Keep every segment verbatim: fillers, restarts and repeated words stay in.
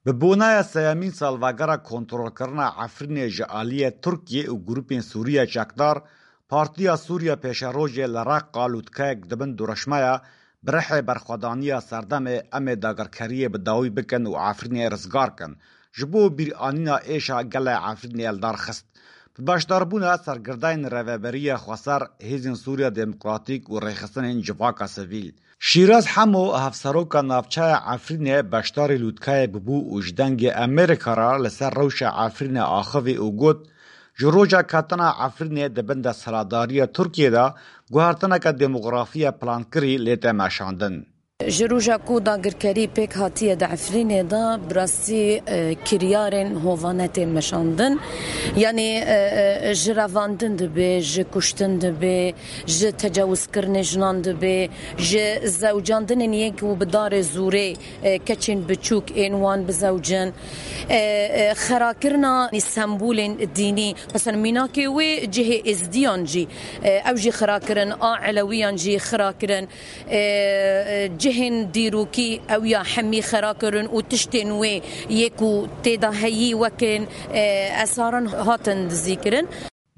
Bi boneya sêyemîn salvegera kontrolkirina Efrînê ji aliyê Tirkiyê û grûpên Sûriye çekdar, Partiya Sûriye Pêşerojê li Reqqa lûtkeyek dibin dûreşmeya bi rihê berxwedaniya serdemê em ê dagirkeriyê bi dawî bikin û Efrînê rizgar kin, ji bo bîranîna êşa gelê Efrînê li dar xist. Bi beşdarbûna serkirdeyên Rêveberiya Xweser, Hêzên Sûriya Demokratîk û rêxistinên civaka sivîl. Şîraz Hemo, hevseroka navçeya Efrînê, beşdarî lûtkeyê bibû û ji Dengê Amerîka re li ser rewşa Efrînê axivî û got, Ji roja ketina Efrînê di bin desthilatdariya Tirkiyê de guhertineke demografiya plankirî lê tê meşandin. Ji roja ku dagirkerî pêk hatiye di Efrînê de, bi rastî, e, kiryarên hovane tên meşandin. Yanî, e, e, ji revandin dibe, ji kuştin dibe, ji tecawizkirinê jinan dibe, ji zewcandinên yên ku bi darê zûrê, e, keçên biçûk ên wan bizewcin, e, e, xirakirina sembolên dînî, mesela mînakê wê cihê êzdiyan jî, e, ew jî xirakirin, a elewiyan jî xirakirin. E, e, cihên dîrokî ew ya hemî xera kirin û tiştên wê yê ku tê de heyî wekên, e, esaran hatin dizîkirin.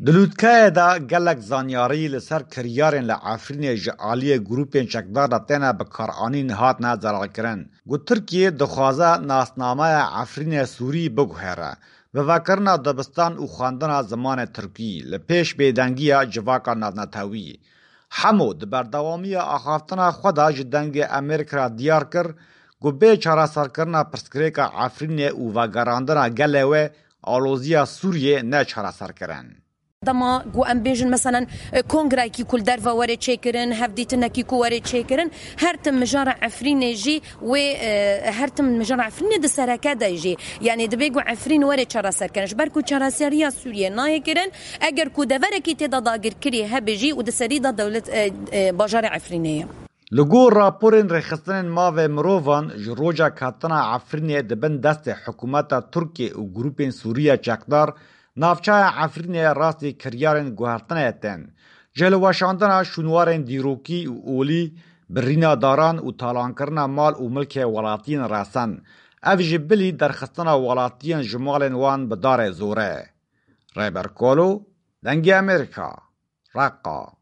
Di lûtkeyê de gelek zanyarî li ser kiryarên li Efrînê ji aliyê grûpên çekdar de têne bikaranîn hatine zelalkirin. Ku Tirkiye dixwaze nasnameya Efrînê Sûrî biguhere, bi vekirina dibistan û xwendina zimanê Tirkî li pêş bêdengiya civaka navnetewî. Hemo di berdewamiya axaftina xwe de ji Dengê Amerîka re diyar kir ku bê çareserkirina pirsgirêka Efrînê û vegerandina gelê wê, aloziya Sûriyê ne çareserkirin. Dema ku em bêjin, meselen, e, kongreyekî ku li derve were çêkirin, hevdîtinekî ku were çêkirin, her tim mijara Efrînê jî wê, e, her tim mijara Efrînê di sereke de jî, yanî dibê ku Efrîn were çareserkirin. Ji ber ku çareseriya Sûriyê nayê kirin, eger ku deverekî tê de dagirkirî hebe jî û di serî de dewlet, e, e, bajarê Efrînê ye. Li gor raporên rêxistinên mavê mirovan, ji roja ketina Efrînê di bin destê hikûmeta Tirkiyê û grûpên Sûriye çekdar, navçeya Efrînê rastî kiryarên guhertinê tên. Ji hilweşandina şûnwarên dîrokî û olî, birîna daran û talankirina mal û milkê welatiyên resen, ev ji bilî derxistina welatiyên ji malên wan bi darê zor e. Rêber Kolo, Dengê Amerîka, Reqqa.